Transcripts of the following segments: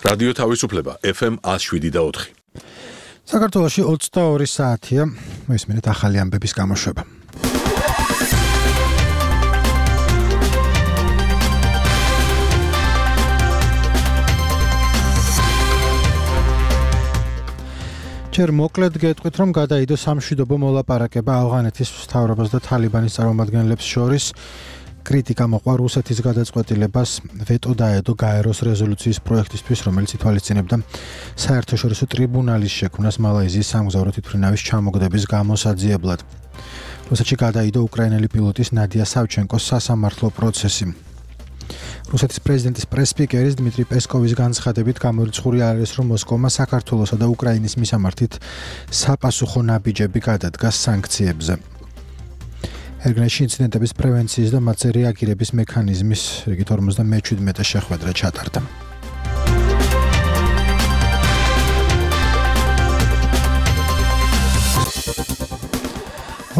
რადიო თავისუფლება FM 107.4. საქართველოში 22 საათია, მესმენთ ახალი ამბების გამოშვება. ჯერ მოკლედ გეტყვით, რომ გადაიდო სამშვიდობო მოლაპარაკება ავღანეთის მთავრობას და თალიბანის წარმომადგენლებს შორის. კრიტიკა მოყვა რუსეთის გადაწყვეტილებას ვეტო დაედო გაეროს რეზოლუციის პროექტისთვის, რომელიც ითვალისწინებდა საერთაშორისო ტრიბუნალის შექმნას მალაიზიის სამგზავრო თვითმფრინავის ჩამოგდების გამოსაძიებლად. რუსეთში გადაიდო უკრაინელი პილოტის ნადია სავჩენკოს სასამართლო პროცესი. რუსეთის პრეზიდენტის პრესსპიკერის დმიტრი პესკოვის განცხადებით გამორიცხული არის, რომ მოსკოვმა საქართველოსა და უკრაინის მისამართით საპასუხო ნაბიჯები გადადგას სანქციებზე. ერგნეში ინციდენტების პრევენციის და მათზე რეაგირების მექანიზმის რიგით 57 შეხვედრა ჩატარდა.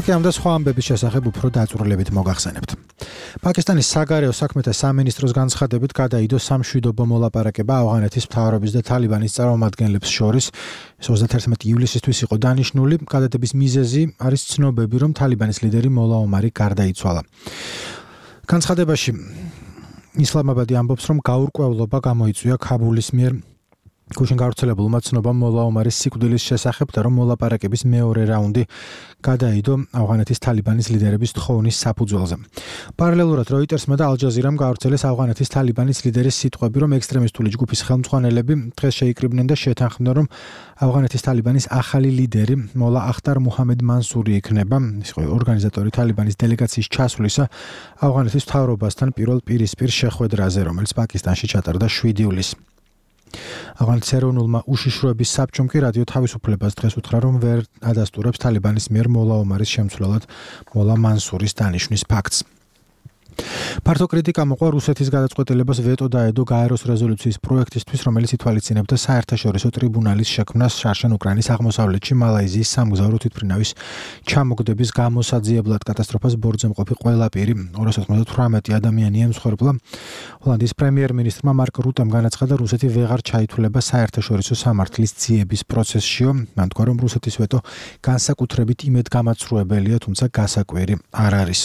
ამ და სხვა ამბების შესახებ უფრო დაწვრილებით მოგახსენებთ. პაკისტანის საგარეო საქმეთა სამინისტროს განცხადებით გადაიდო სამშვიდობო მოლაპარაკება ავღანეთის მთავრობის და თალიბანის წარმომადგენლებს შორის. 31 ივლისისთვის იყო დანიშნული. გადადების მიზეზი არის ცნობები, რომ თალიბანის ლიდერი მოლა ომარი გარდაიცვალა. განცხადებაში ისლამაბადი ამბობს, რომ გაურკვევლობა გამოიწვია ქაბულის მიერ გუშინ გავრცელებულმა ცნობამ მოლა ომარის სიკვდილის შესახებ და რომ მოლაპარაკების მეორე რაუნდი გადაიდო ავღანეთის თალიბანის ლიდერების თხოვნის საფუძველზე. პარალელურად როიტერსმა და ალ-ჯაზირამ გავრცელეს ავღანეთის თალიბანის ლიდერის სიტყვები, რომ ექსტრემისტული ჯგუფის ხელმძღვანელები დღეს შეიკრიბნენ და შეთანხმდნენ, რომ ავღანეთის თალიბანის ახალი ლიდერი მოლა ახტარ მუჰამედ მანსური იქნება. ის იყო ორგანიზატორი თალიბანის დელეგაციის ჩასვლისა ავღანეთის მთავრობასთან პირველ პირისპირ შეხვედრაზე, რომელიც პაკისტანში ჩატარდა 7 ივლისს. ავღანეთის ეროვნულმა უშიშროების საბჭომ კი რადიო თავისუფლებას დღეს უთხრა, რომ ვერ ადასტურებს თალიბანის მიერ მოლა ომარის შემცვლელად მოლა მანსურის დანიშვნის ფაქტს. ფართო კრიტიკა მოყვა რუსეთის გადაწყვეტილებას ვეტო დაედო გაეროს რეზოლუციის პროექტისთვის, რომელიც ითვალისწინებდა საერთაშორისო ტრიბუნალის შექმნას შარშან უკრაინის აღმოსავლეთში მალაიზიის სამგზავრო თვითმფრინავის ჩამოგდების გამოსაძიებლად. კატასტროფას ბორცვზე მყოფი ყველა პირი 298 ადამიანი ემსხვერპლა. ჰოლანდიის პრემიერ-მინისტრმა მარკ რუტემ განაცხადა, რუსეთი ვეღარ ჩაითვლება საერთაშორისო სამართლის ძიების პროცესშიო. მან თქვა, რომ რუსეთის ვეტო განსაკუთრებით იმედგამაცრუებელია, თუმცა გასაკვირი არ არის.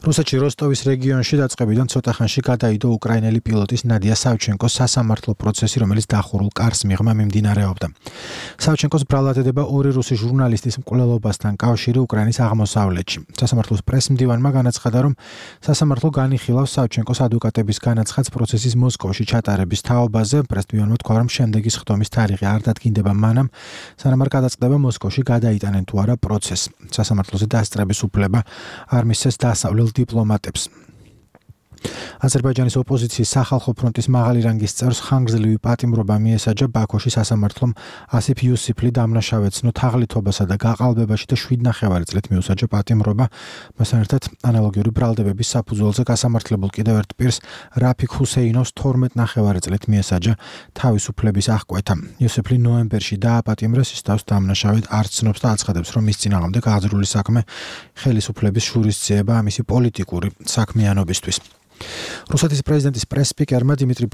რუსეთში როსტოვის რეგიონში დაწყებიდან ცოტა ხანში გადაიდო უკრაინელი პილოტის ნადია სავჩენკოს სასამართლო პროცესი, რომელიც დახურულ კარს მიღმა მიმდინარეობდა. სავჩენკოს ბრალად ედება ორი რუსი ჟურნალისტის მკვლელობასთან კავშირი უკრაინის აღმოსავლეთში. სასამართლოს პრესმდივანმა განაცხადა, რომ სასამართლო განიხილავს სავჩენკოს ადვოკატების განაცხადს პროცესის მოსკოვში ჩატარების თაობაზე. პრესმდივანმა თქვა, რომ შემდეგი სხდომის თარიღი არ დადგინდება მანამ, სანამ არ გადაწყდება მოსკოვში გადაიტანენ თუ არა პროცესს. სასამართლოზე დასწრების უფლება არ მისცეს დასავლელ დიპლომატებს. აზერბაიჯანის ოპოზიციის სახალხო ფრონტის მაღალი რანგის წევრს ხანგრძლივი პატიმრობა მიესაჯა ბაქოში სასამართლომ ასიფ იუსიფლი დამნაშავეცნო თაღლითობასა და გაყალბებაში და 7,5 წლით მიუსაჯა პატიმრობა. მასთან ერთად ანალოგიური ბრალდებების საფუძველზე გასამართლებულ კიდევ ერთ პირს რაფიქ ჰუსეინოვს 12,5 წლით მიესაჯა თავისუფლების აღკვეთა. იუსიფლი ნოემბერში დააპატიმრეს, ის თავს დამნაშავედ არ ცნობს და აცხადებს, რომ მის წინააღმდეგ აღძრული საქმე ხელისუფლების შურისძიება მისი პოლიტიკური საქმიანობისთვის. რუსეთის პრეზიდენტის პრესსპიკერმა დიმიტრი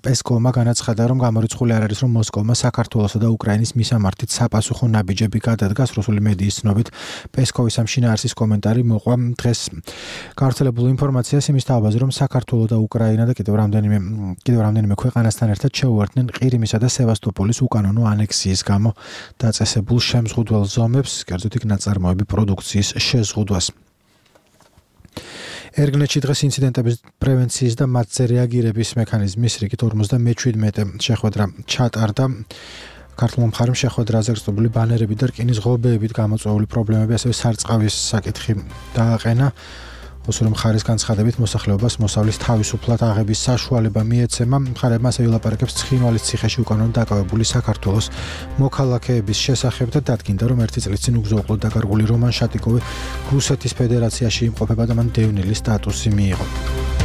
პესკოვმა განაცხადა, რომ გამორიცხული არ არის, რომ მოსკოვმა საქართველოსა და უკრაინის მისამართით საპასუხო ნაბიჯები გადადგას. რუსული მედიის ცნობით პესკოვის ამ შინაარსის კომენტარი მოყვა დღეს გავრცელებულ ინფორმაციას იმის თაობაზე, რომ საქართველო და უკრაინა და კიდევ რამდენიმე ქვეყანასთან ერთად შეუერთდნენ ყირიმისა და სევასტოპოლის უკანონო ანექსიის გამო დაწესებულ შემზღუდველ ზომებს, კერძოდ იქ ნაწარმოები პროდუქციის შეზღუდვას. ერგნეში დღეს ინციდენტების პრევენციის და მათზე რეაგირების მექანიზმის რიგით 57 შეხვედრა ჩატარდა. ქართულმა მხარემ შეხვედრაზე გრძნobili ბანერები და რკინის ღობეებით გამოწვეული პრობლემები, ასევე სარწყავის საკითხი დააყენა. ოსური მხარის განცხადებით მოსახლეობას მოსავლის თავისუფლად აღების საშუალება მიეცემა. მხარებმა ასევე ვილაპარაკებს ცხინვალის ციხეში უკანონოდ დაკავებული საქართველოს მოქალაქეების შესახებ და დადგინდა, რომ 1 წლის წინ უგზო-უყლოდ დაკარგული რომან შატიკოვი რუსეთის ფედერაციაში იმყოფება და მან დევნილი სტატუსი მიიღო.